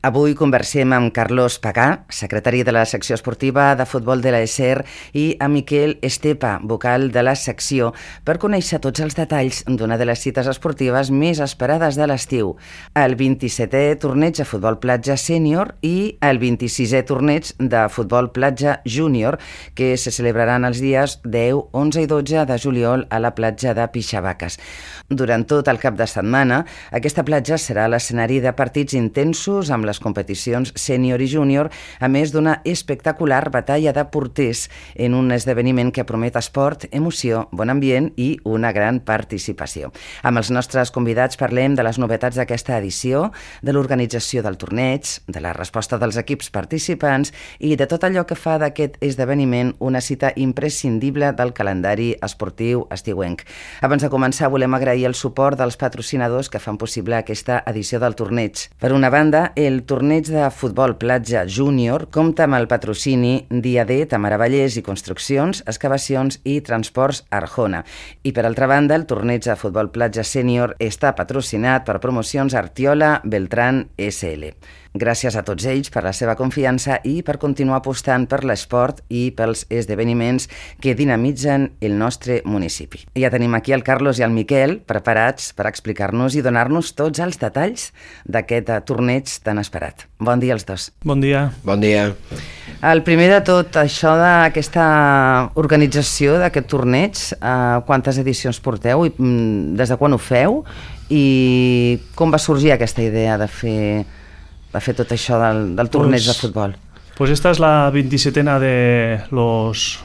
Avui conversem amb Carlos Pagà, secretari de la secció esportiva de futbol de l'ESER, i amb Miquel Estepa, vocal de la secció, per conèixer tots els detalls d'una de les cites esportives més esperades de l'estiu, el 27è torneig de futbol platja sènior i el 26è torneig de futbol platja júnior, que se celebraran els dies 10, 11 i 12 de juliol a la platja de Pixavaques. Durant tot el cap de setmana, aquesta platja serà l'escenari de partits intensos amb les competicions sènior i júnior, a més d'una espectacular batalla de porters en un esdeveniment que promet esport, emoció, bon ambient i una gran participació. Amb els nostres convidats parlem de les novetats d'aquesta edició, de l'organització del torneig, de la resposta dels equips participants i de tot allò que fa d'aquest esdeveniment una cita imprescindible del calendari esportiu estiuenc. Abans de començar, volem agrair el suport dels patrocinadors que fan possible aquesta edició del torneig. Per una banda, el torneig de futbol platja júnior compta amb el patrocini d'IAD, Tamara Vallès i Construccions, Excavacions i Transports Arjona. I per altra banda, el torneig de futbol platja sènior està patrocinat per Promocions Artiola Beltrán SL. Gràcies a tots ells per la seva confiança i per continuar apostant per l'esport i pels esdeveniments que dinamitzen el nostre municipi. Ja tenim aquí el Carlos i el Miquel preparats per explicar-nos i donar-nos tots els detalls d'aquest torneig tan esperat. Bon dia als dos. Bon dia. Bon dia. El primer de tot, això d'aquesta organització d'aquest torneig, quantes edicions porteu i des de quan ho feu i com va sorgir aquesta idea de fer tot això del torneig de futbol? Pues esta es la 27ª de los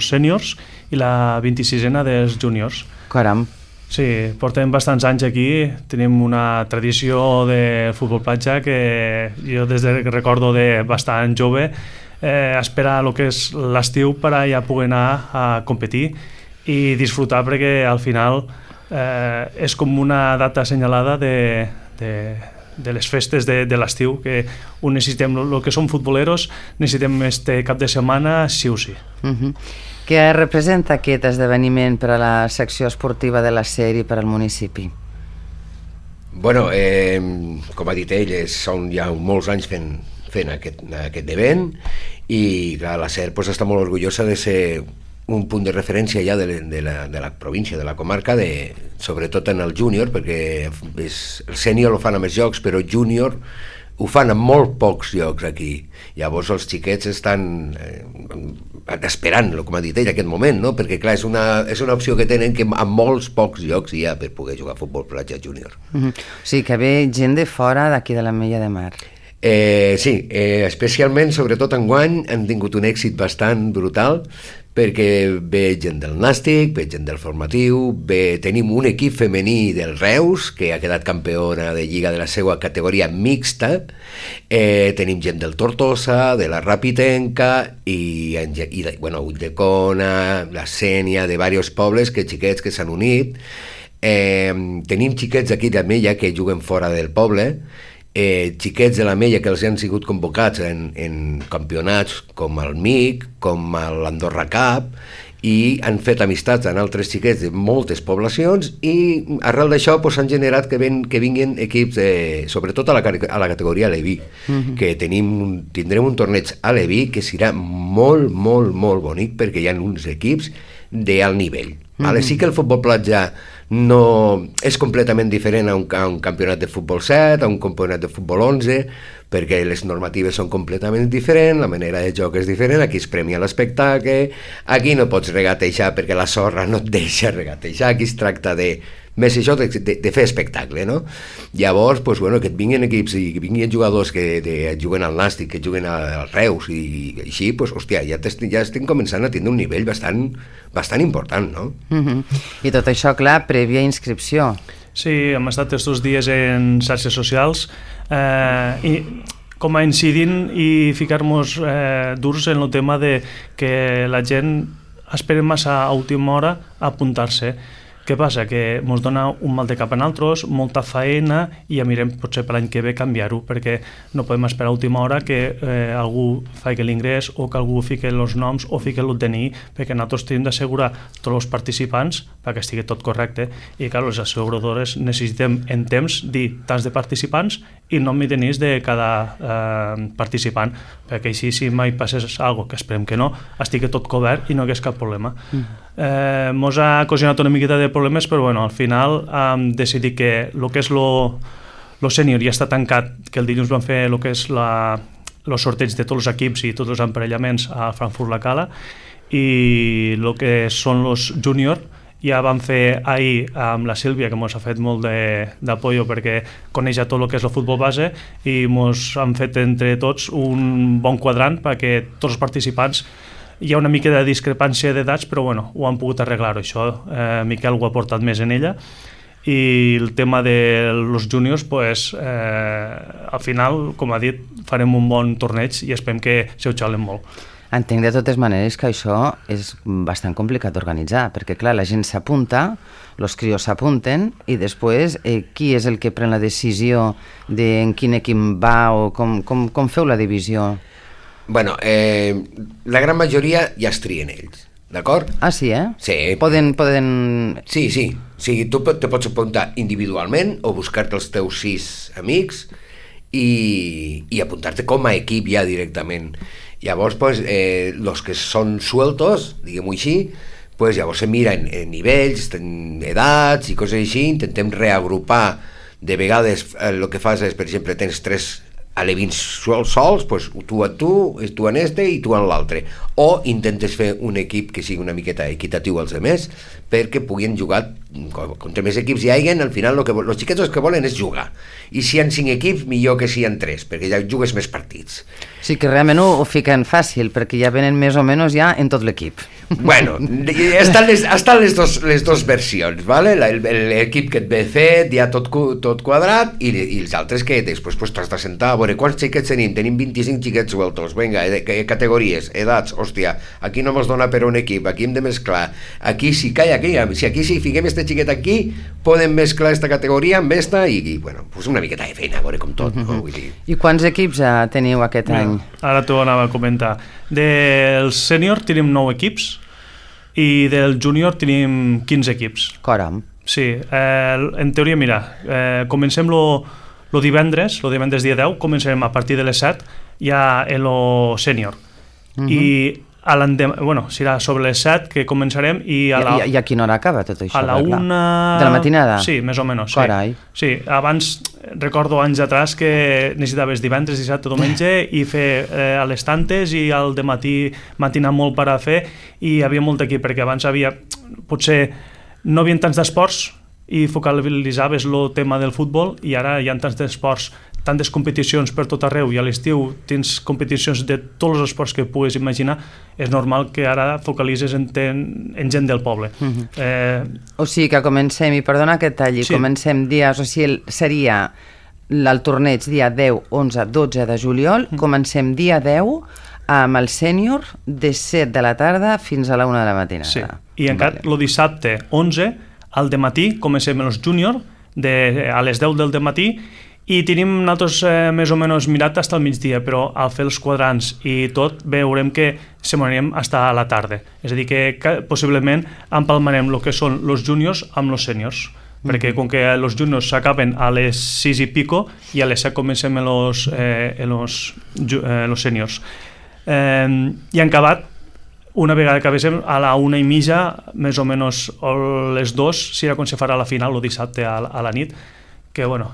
seniors i la 26ª dels juniors. Caram. Sí, portem bastants anys aquí, tenim una tradició de futbol platja que jo des que recordo de bastant jove espera el que és l'estiu per a ja poder anar a competir i disfrutar, perquè al final és com una data assenyalada de les festes de l'estiu, que ho necessitem, el que som futboleros necessitem este cap de setmana sí o sí. Què representa aquest esdeveniment per a la secció esportiva de l'ESER i per al municipi? Bueno, com ha dit ell, són ja molts anys fent aquest event i clar, l'ESER està molt orgullosa de ser un punt de referència ja de la província, de la comarca, sobretot en el júnior, perquè el sènior ho fan a més llocs, però el júnior ho fan a molt pocs llocs aquí. Llavors els xiquets estan esperant, com ha dit ell, aquest moment, no? Perquè clar, és una opció que tenen que a molts pocs llocs hi ha per poder jugar a futbol platja júnior. O sigui que ve gent de fora d'aquí de l'Ametlla de Mar. Sí, especialment, sobretot enguany, han tingut un èxit bastant brutal, perquè ve gent del Nàstic, ve gent del formatiu, tenim un equip femení del Reus, que ha quedat campiona de lliga de la seva categoria mixta, tenim gent del Tortosa, de la Rapitenca, i Ulldecona, la Sénia, de diversos pobles, xiquets que s'han unit. Tenim xiquets d'aquí d'Ametlla que juguen fora del poble, xiquets de l'Ametlla que els han sigut convocats en campionats com el MIC, com l'Andorra Cup, i han fet amistats amb altres xiquets de moltes poblacions i arrel d'això s'han generat que vinguin equips, sobretot a la categoria Leví, que tindrem un torneig a Leví que serà molt, molt, molt bonic, perquè hi ha uns equips d'alt nivell. Sí que el futbol platja no és completament diferent a un campionat de futbol 7, a un campionat de futbol 11, perquè les normatives són completament diferents, la manera de joc és diferent, aquí es premia l'espectacle, aquí no pots regatejar perquè la sorra no et deixa regatejar, aquí es tracta més això de fer espectacle, no? Llavors, que et vinguin equips i que vinguin jugadors que juguen al Nàstic, que juguen al Reus i així, hòstia, ja estem començant a tindre un nivell bastant important, no? I tot això, clar, prèvia inscripció. Sí, hem estat aquests dies en xarxes socials i com a incidint i ficar-nos durs en el tema de que la gent espera massa a última hora a apuntar-se. Què passa? Que ens dona un mal de cap a nosaltres, molta feina, i ja mirem potser per l'any que ve canviar-ho, perquè no podem esperar a última hora que algú faci l'ingrés o que algú fiqui els noms o fiqui el DNI, perquè nosaltres tenim d'assegurar tots els participants perquè estigui tot correcte, i clar, les asseguradores necessitem en temps dir tants de participants i no m'hi tenís de cada participant, perquè així si mai passés alguna cosa, que esperem que no, estigui tot cobert i no hi hagués cap problema. Mos ha ocasionat una miqueta de problemes, però bueno, al final hem decidit que el que és lo sènior ja està tancat, que el dilluns vam fer el que és el sorteig de tots els equips i tots els emparellaments a Frankfurt la Cala, i el que són els júnior ja vam fer ahir amb la Sílvia, que ens ha fet molt d'apoyo perquè coneix ja tot el que és el futbol base, i ens han fet entre tots un bon quadrant perquè tots els participants, hi ha una mica de discrepància d'edats, però bueno, ho han pogut arreglar això. Miquel ho ha portat més en ella, i el tema dels júniors, pues, al final, com ha dit, farem un bon torneig i esperem que se ho xalen molt. Entenc de totes maneres que això és bastant complicat d'organitzar, perquè clar, la gent s'apunta, els crios s'apunten, i després qui és el que pren la decisió de en quin equip va o com feu la divisió? Bueno, la gran majoria ja es trien ells, d'acord? Ah, sí, eh? Sí. Poden... Sí, sí. O sigui, tu te pots apuntar individualment o buscar-te els teus 6 amics i apuntar-te com a equip ja directament. Llavors, pues, los que són sueltos, diguem-ho així, pues, llavors se mira en nivells, en edats i coses així, intentem reagrupar. De vegades el que fas és, per exemple, tens 3 alevins sols, pues, tu en este i tu en l'altre, o intentes fer un equip que sigui una miqueta equitatiu als altres, perquè puguin jugar contra més equips hi hagin. Al final els xiquets el que volen és jugar, i si hi ha 5 equips millor que si hi ha 3, perquè ja jugues més partits. Sí, que realment ho fiquen fàcil, perquè ja venen més o menys ja en tot l'equip. Bueno, estan les dos versions, ¿vale? L'equip que et ve fet ja tot quadrat, i els altres que després pues, t'has de sentar a veure quants xiquets tenim 25 xiquets sueltos, vinga, categories, edats, hòstia, aquí no mos dona per un equip, aquí hem de mesclar, aquí sí calla, aquí si fiquem este xiquet aquí, podem mesclar esta categoria amb esta, i bueno, pues una miqueta de feina, a veure com tot, no? Vull dir... I quants equips teniu aquest any? Ara t'ho anava a comentar. Del sènior tenim 9 equips i del júnior tenim 15 equips. Caram. Sí, en teoria, mira, comencem lo divendres dia 10, començarem a partir de les 7 ja en lo sènior. I bueno, serà sobre les 7 que començarem i a quina hora acaba tot això? A la 1... De la matinada? Sí, més o menys. Sí. Carai. Sí, abans recordo anys atrás que necessitaves divendres, dissabte, diumenge i fer a les tantes, i al dematí matinar molt per a fer, i hi havia molt aquí, perquè abans potser no hi havia tants d'esports i focalitzaves el tema del futbol, i ara hi ha tants d'esports, tantes competicions per tot arreu, i a l'estiu tens competicions de tots els esports que puguis imaginar. És normal que ara focalitzes en gent del poble. O sigui que comencem, i perdona que talli, sí. Comencem dies, o sigui, seria el torneig dia 10, 11, 12 de juliol, comencem dia 10 amb el sènior de 7 de la tarda fins a la 1 de la matinada. Sí, i encara el dissabte 11 al dematí comencem els júnior a les 10 del dematí, i tenim nosaltres més o menys mirat fins al migdia, però al fer els quadrants i tot veurem que se m'anirem fins a la tarda. És a dir, que possiblement empalmarem el que són els júniors amb els sèniors, perquè com que els júniors s'acaben a les 6 i pico, i a les 7 comencem els sèniors. I han acabat, una vegada que acabéssim, a la 1:30, més o menys, o les 2, serà quan se farà la final, el dissabte a la nit, que bueno,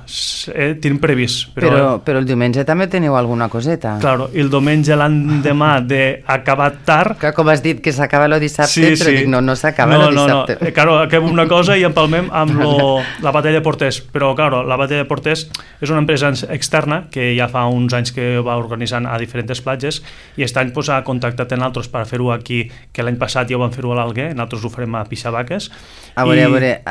tenim previst. Però el diumenge també teniu alguna coseta. Claro, el diumenge l'endemà d'acabar tard... Que com has dit que s'acaba el dissabte, sí, però dic, no s'acaba el dissabte. No. Claro, acabem una cosa i empalmem amb la batalla de porters, però claro, la batalla de porters és una empresa externa que ja fa uns anys que va organitzant a diferents platges, i aquest any ha contactat en altres per fer-ho aquí, que l'any passat ja ho van fer-ho a l'Alguer, nosaltres ho farem a Pixabaques. A veure,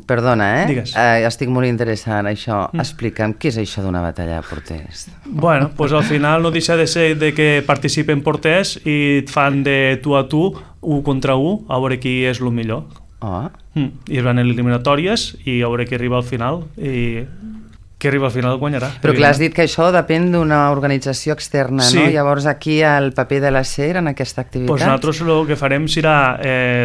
perdona, Digues. Estic molt interessant això. Explica'm, què és això d'una batalla de porters? Bueno, pues al final no deixa de ser de que participen porters i et fan de tu a tu, 1 contra 1, a veure qui és el millor. Oh. I es van eliminatòries i a veure qui arriba al final, i que arriba al final guanyarà. Però clar, has dit que això depèn d'una organització externa, sí. No? Llavors aquí el paper de la SER en aquesta activitat? Pues nosaltres el que farem serà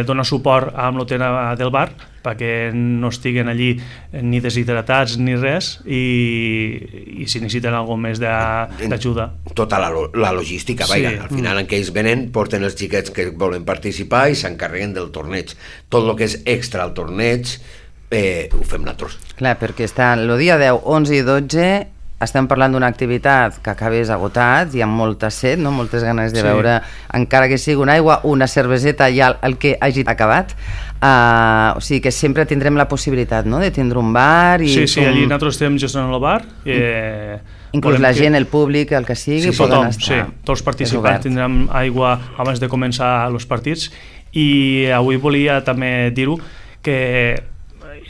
donar suport amb l'hotena del bar perquè no estiguen allí ni deshidratats ni res i si necessiten alguna més d'ajuda. Tota la logística, vaja. Sí. Al final en què ells venen porten els xiquets que volen participar i s'encarreguen del torneig. Tot el que és extra al torneig ho fem nosaltres. Clar, perquè està el dia 10, 11 i 12 estem parlant d'una activitat que acabés agotat i amb molta set, no? Moltes ganes de veure, encara que sigui una aigua, una cerveseta i el que hagi acabat. O sigui que sempre tindrem la possibilitat, no?, de tindre un bar i... Sí, allí nosaltres estem gestionant el bar. Inclús la gent, el públic, el que sigui, poden estar. Sí, tots els participants tindran aigua abans de començar els partits i avui volia també dir-ho que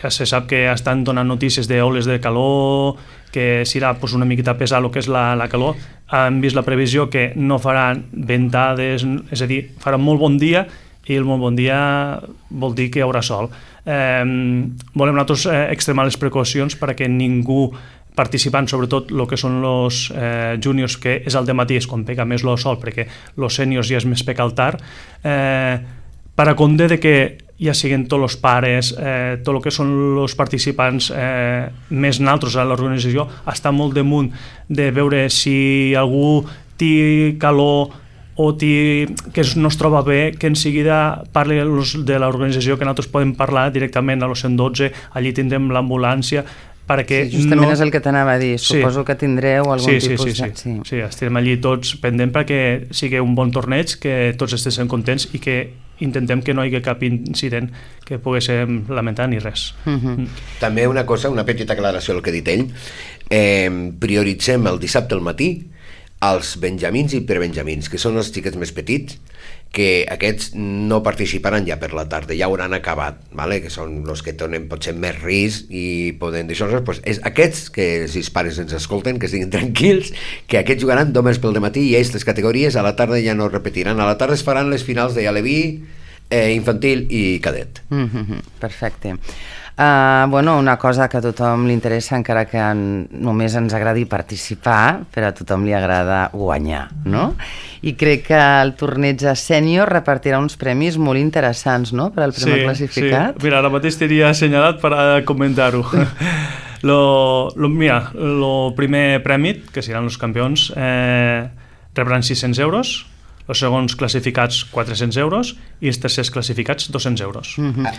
ja se sap que estan donant notícies d'oles de calor, que serà una miqueta pesar el que és la calor. Han vist la previsió que no faran ventades, és a dir, farà molt bon dia i el molt bon dia vol dir que hi haurà sol. Volem nosaltres extremar les precaucions perquè ningú participant, sobretot el que són els júniors, que és al dematí, és quan pega més el sol, perquè els sèniors ja és més peca al tard, per a compte de que ja siguin tots els pares, tot el que són els participants més naltros a l'organització, està molt damunt de veure si algú té calor o que no es troba bé, que en seguida parli de l'organització, que nosaltres podem parlar directament a los 112, allí tindrem l'ambulància, perquè justament és el que t'anava a dir, suposo que tindreu algun tipus de... Sí, estem allí tots pendents perquè sigui un bon torneig, que tots estiguem contents i que intentem que no hi hagi cap incident que poguéssim lamentar ni res. També una cosa, una petita aclaració al que ha dit ell, prioritzem el dissabte al matí els benjamins i prebenjamins, que són els xiquets més petits, que aquests no participaran ja per la tarda, ja hauran acabat, ¿vale? Que són els que tenen potser més risc i poden dir coses, pues és aquests que si els pares ens escolten, que estiguin tranquils, que aquests jugaran només pel dematí i ells les categories a la tarda ja no repetiran, a la tarda es faran les finals de aleví, infantil i cadet. Perfecte. Bueno, una cosa que a tothom li interessa, encara que només ens agradi participar, però a tothom li agrada guanyar, no? I crec que el torneig sènior repartirà uns premis molt interessants, no?, per al primer classificat. Sí, mira, ara mateix t'hiria assenyalat per a comentar-ho. Mira, el primer premi, que seran els campions, rebran 600 euros, els segons classificats 400 euros i els tercers classificats 200 euros.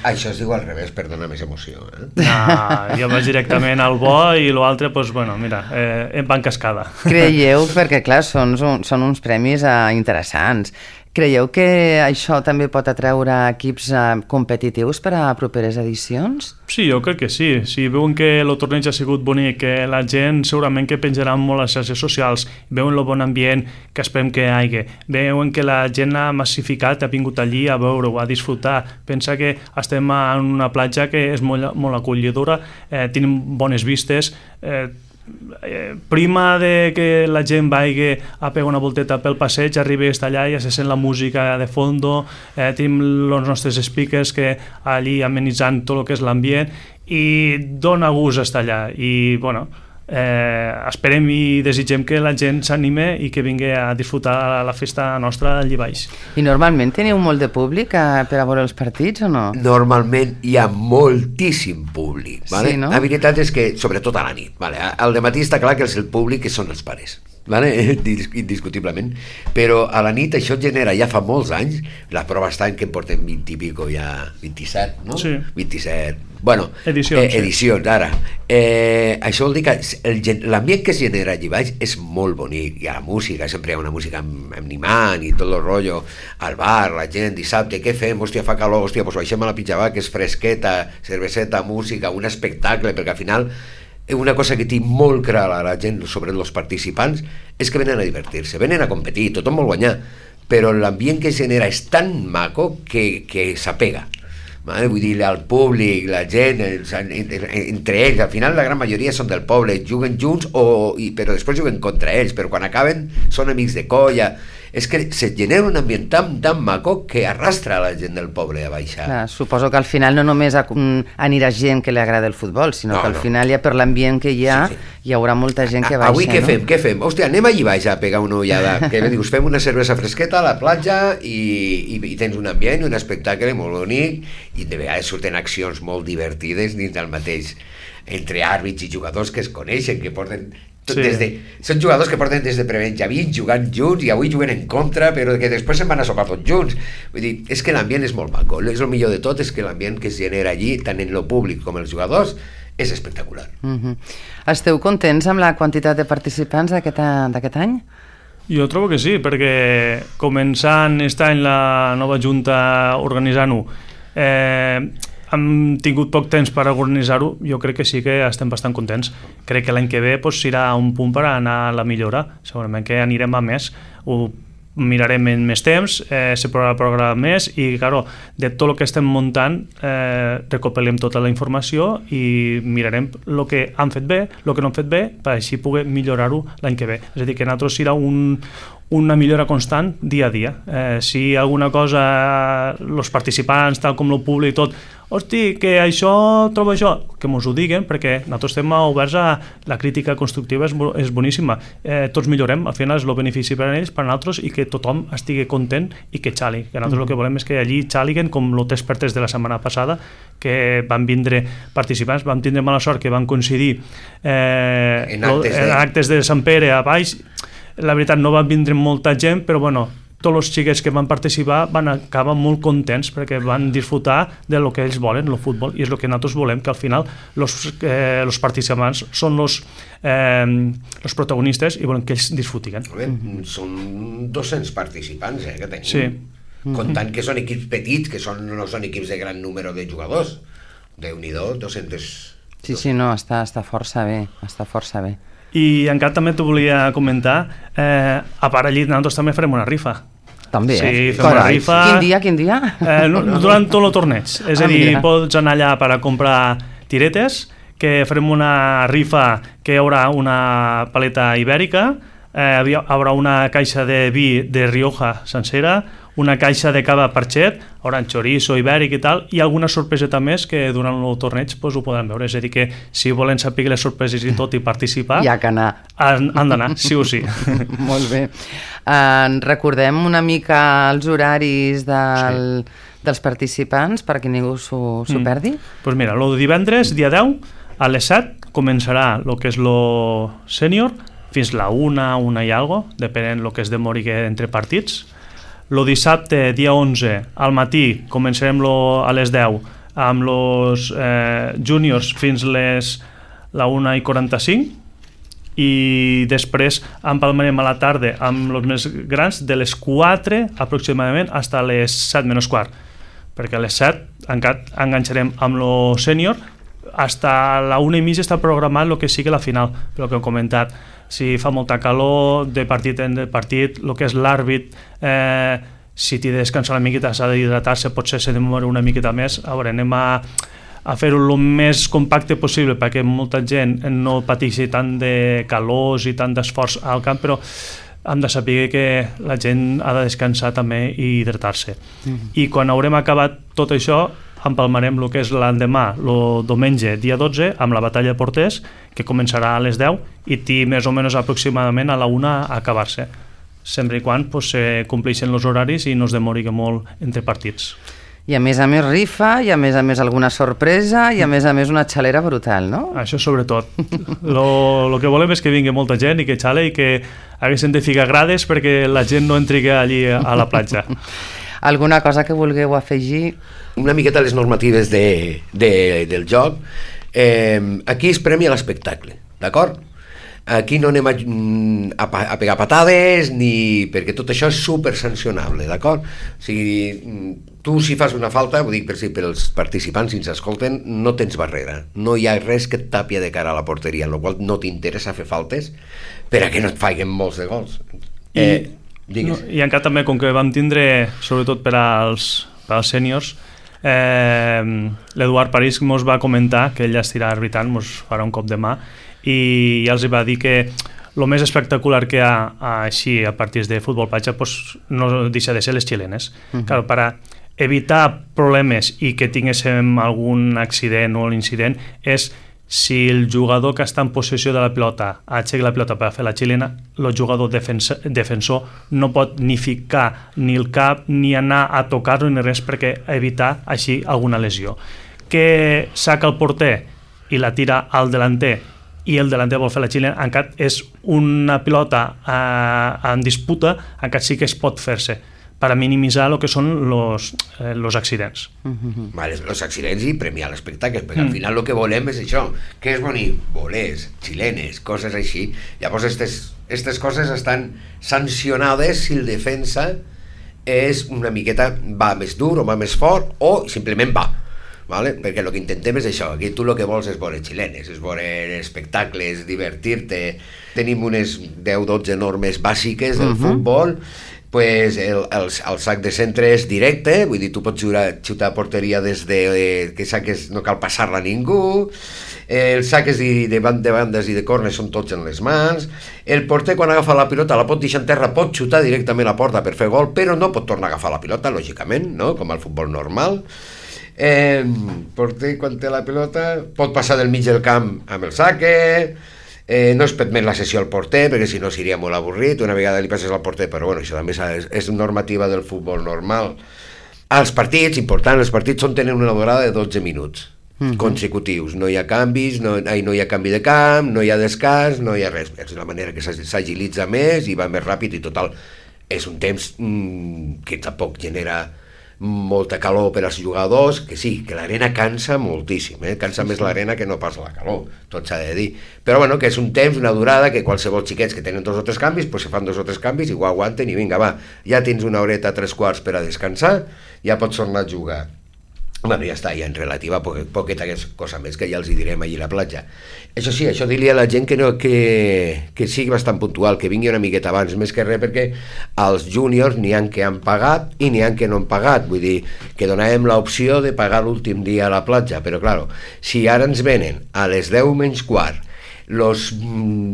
Això es diu al revés per donar més emoció. Jo vaig directament al bo i l'altre, doncs, bueno, mira, va en cascada. Creieu, perquè clar, són uns premis interessants. Creieu que això també pot atreure equips competitius per a properes edicions? Sí, jo crec que sí. Si veuen que el torneig ha sigut bonic, que la gent segurament que penjarà molt a les xarxes socials, veuen el bon ambient que esperem que hi hagi, veuen que la gent ha massificat, ha vingut allí a veure-ho, a disfrutar. Pensa que estem en una platja que és molt acollidora, tenim bones vistes, prima de que la gent vagi a pegar una volteta pel passeig, arriba a estar allà i ja se sent la música de fondo, tenim els nostres speakers que allí amenitzant tot el que és l'ambient i dona gust estar allà i bueno, esperem i desitgem que la gent s'anime i que vingui a disfrutar la festa nostra allí baix. I normalment teniu molt de públic per a veure els partits o no? Normalment hi ha moltíssim públic, ¿vale? Sí, no? La veritat és que, sobretot a la nit, ¿vale? Al dematí està clar que el públic són els pares, ¿vale? Indiscutiblement, però a la nit això genera, ja fa molts anys, la prova està en que en portem 20 i pico ja, 27, no? Sí. 27, bueno, edicions, ara. Això vol dir que l'ambient que es genera allí baix és molt bonic, hi ha la música, sempre hi ha una música animant i tot el rotllo, al bar, la gent, dissabte, què fem? Hòstia, fa calor, hòstia, doncs baixem a la Pitjabà, que és fresqueta, cerveseta, música, un espectacle, perquè al final una cosa que té molt clara la gent sobre els participants és que venen a divertir-se, venen a competir, tothom vol guanyar, però l'ambient que es genera és tan maco que s'apega. Vull dir, el públic, la gent, entre ells, al final la gran majoria són del poble, juguen junts, però després juguen contra ells, però quan acaben són amics de colla, és que se genera un ambient tan maco que arrastra la gent del poble a baixar. Clar, suposo que al final no només anirà gent que li agrada el futbol, sinó que al final ja per l'ambient que hi ha, hi haurà molta gent que baixa. Avui què fem? Hòstia, anem allí baix a pegar una ullada. Que dius, fem una cervesa fresqueta a la platja i tens un ambient, un espectacle molt bonic, i de vegades surten accions molt divertides dins del mateix, entre àrbits i jugadors que es coneixen, que porten són jugadors que porten des de prebenjamins jugant junts i avui juguen en contra, però que després se'n van a sopar tots junts. Vull dir, és que l'ambient és molt maco. És el millor de tot, és que l'ambient que es genera allí, tant en lo públic com els jugadors, és espectacular. Esteu contents amb la quantitat de participants d'aquest any? Jo trobo que sí, perquè començant aquest any la nova junta organitzant-ho, hem tingut poc temps per organitzar-ho, jo crec que sí que estem bastant contents. Crec que l'any que ve serà un punt per anar a la millora, segurament que anirem a més, ho mirarem en més temps, se programarà més i, claro, de tot el que estem muntant recopilem tota la informació i mirarem el que han fet bé, el que no han fet bé, per així poder millorar-ho l'any que ve. És a dir, que nosaltres serà una millora constant dia a dia. Si alguna cosa, els participants, tal com el públic i tot, hosti, que això, trobo això, que mos ho diguen, perquè nosaltres estem oberts a la crítica constructiva, és boníssima. Tots millorem, al final és el benefici per a ells, per a nosaltres, i que tothom estigui content i que xali. Que nosaltres el que volem és que allí xaliguen, com els experts de la setmana passada, que van vindre participants, vam tindre mala sort que van coincidir en actes de Sant Pere a baix. La veritat, no van vindre molta gent, però bueno, tots els xiquets que van participar van acabar molt contents perquè van disfrutar de lo que ells volen, el futbol, i és el que nosaltres volem, que al final els participants són els protagonistes i volem que ells disfrutin. Són 200 participants que tenim. Sí. Comptant que són equips petits, que no són equips de gran número de jugadors. Déu-n'hi-do, 200... Sí, no, està força bé, està força bé. I encara també t'ho volia comentar, a part allí nosaltres també farem una rifa. També, sí, fem una rifa. Quin dia? Durant tot el torneig. És a dir, pots anar allà per a comprar tiretes, que farem una rifa que hi haurà una paleta ibèrica, hi haurà una caixa de vi de Rioja sencera, una caixa de cava Parxet, haurà chorizo ibèric i tal, i alguna sorpreseta més que durant el torneig ho podran veure. És a dir, que si volen saber les sorpreses i tot i participar, hi ha que anar. Han d'anar, sí o sí. Molt bé. Recordem una mica els horaris dels participants perquè ningú s'ho perdi? Doncs mira, el divendres, dia 10, a les 7, començarà el que és el sènior, fins la 1 i algo, depenent del que es demori entre partits. El dissabte, dia 11, al matí, començarem a les 10 amb els júniors fins la 1:45 i després empalmarem a la tarda amb els més grans de les 4 aproximadament fins a les 7:15, perquè a les 7 enganxarem amb el sènior. Fins a la 1:30 està programat el que sigui la final, però que hem comentat, si fa molta calor de partit en partit, el que és l'àrbit, si t'hi descansa una miqueta, s'ha d'hidratar-se, potser se demora una miqueta més. A veure, anem a fer-ho el més compacte possible perquè molta gent no pateixi tant de calors i tant d'esforç al camp, però hem de saber que la gent ha de descansar també i hidratar-se. I quan haurem acabat tot això, empalmarem el que és l'endemà, el diumenge, dia 12, amb la batalla de porters, que començarà a les 10 i té més o menys aproximadament a la 1 a acabar-se, sempre i quan se compleixen els horaris i no es demori molt entre partits. I a més rifa, i a més alguna sorpresa, i a més una xalera brutal, no? Això sobretot. El que volem és que vingui molta gent i que xale i que haguessin de ficar grades perquè la gent no entri allí a la platja. Alguna cosa que vulgueu afegir? Una miqueta les normatives del joc. Aquí es premia l'espectacle, d'acord? Aquí no anem a pegar patades, perquè tot això és super sancionable, d'acord? O sigui, tu si fas una falta, ho dic per als participants, si ens escolten, no tens barrera. No hi ha res que et tapia de cara a la porteria, en la qual no t'interessa fer faltes per a que no et faiguen molts de gols. I encara també, com que vam tindre, sobretot per als sèniors, l'Eduard París mos va comentar que ell estirà arbitrant, mos farà un cop de mà, i ja els va dir que el més espectacular que hi ha així a partits de futbol platja pues, no deixa de ser les xilenes. Claro, para evitar problemes i que tinguéssim algun accident o incident és si el jugador que està en possessió de la pilota aixeca la pilota per fer la xilena, el jugador defensor no pot ni ficar ni el cap ni anar a tocar-lo ni res perquè evitar així alguna lesió. Que saca el porter i la tira al delanter i el delanter vol fer la xilena, encara és una pilota en disputa, encara sí que es pot fer-se para minimitzar lo que són los accidents. Vale, los accidents i premiar l'espectacle, perquè al final el que volem és això, que és bonic, bolers, xilenes, coses així. Llavors, aquestes coses estan sancionades si el defensa és una miqueta, va més dur o va més fort o simplement va. Vale? Perquè el que intentem és això, aquí tu el que vols és veure xilenes, és veure espectacles, divertir-te. Tenim unes 10-12 normes bàsiques del futbol, pues el sac de centre és directe, vull dir, tu pots xutar a porteria des de que saques, no cal passar-la a ningú, els saques de bandes i de cornes són tots en les mans, el porter quan agafa la pilota la pot deixar en terra, pot xutar directament a porta per fer gol, però no pot tornar a agafar la pilota, lògicament, no? Com al futbol normal. Porter quan té la pilota pot passar del mig del camp amb el saque, no es permet la sessió al porter perquè si no seria molt avorrit, una vegada li passes al porter, però bueno, això també és normativa del futbol normal. Els partits, important, els partits tenen una durada de 12 minuts consecutius, no hi ha canvis, no hi ha canvi de camp, no hi ha descans, no hi ha res, és la manera que s'agilitza més i va més ràpid i total, és un temps que tampoc genera molta calor per als jugadors, que sí, que l'arena cansa moltíssim, cansa més l'arena que no pas la calor, tot s'ha de dir, però bueno, que és un temps, una durada que qualsevol xiquets que tenen 2 o 3 canvis, pues se fan 2 o 3 canvis i ho aguanten i vinga, va, ja tens una horeta, 3/4 per a descansar, ja pots tornar a jugar. Bueno, ja està, ja en relativa poqueta cosa més que ja els hi direm allí a la platja. Això sí, això dir-li a la gent que sigui bastant puntual, que vingui una miqueta abans, més que res perquè als júniors n'hi ha que han pagat i n'hi ha que no han pagat, vull dir que donàvem l'opció de pagar l'últim dia a la platja, però claro, si ara ens venen a les 10:15 los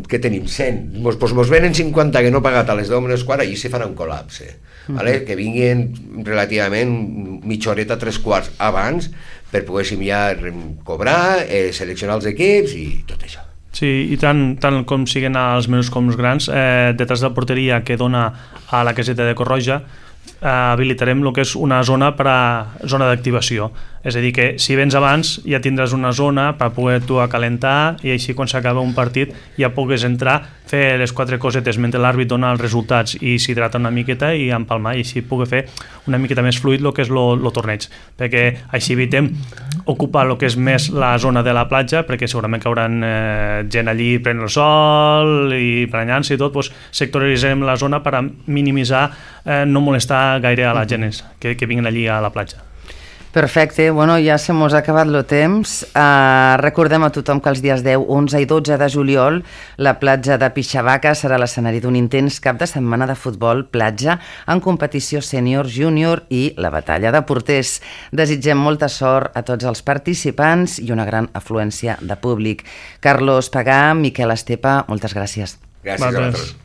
que tenim 100, mos venen 50 que no pagat a les 10:15, allí se farà un col·lapse, vale? Que vinguin relativament mitja horeta, 3/4 abans per poguéssim ja cobrar, seleccionar els equips i tot això. Sí, i tant com siguen els menús com els grans, detrás de la porteria que dona a la caseta de Corroja habilitarem el que és una zona per a zona d'activació, és a dir que si vens abans ja tindràs una zona per poder tu calentar i així quan s'acaba un partit ja pugues entrar, fer les 4 cosetes mentre l'àrbit dona els resultats i s'hidrata una miqueta i empalmar i així poder fer una miqueta més fluid el que és el torneig, perquè així evitem ocupar el que és més la zona de la platja, perquè segurament que hauran gent allí prenent el sol i prenyant-se i tot, doncs sectoritzarem la zona per a minimitzar, no molestar gaire a la gent que vinguin allí a la platja. Perfecte, bueno, ja se mos ha acabat el temps. Recordem a tothom que els dies 10, 11 i 12 de juliol la platja de Pixavaca serà l'escenari d'un intens cap de setmana de futbol platja en competició sènior, júnior i la batalla de porters. Desitgem molta sort a tots els participants i una gran afluència de públic. Carlos Pagà, Miquel Estepa, moltes gràcies. Gràcies a vosaltres.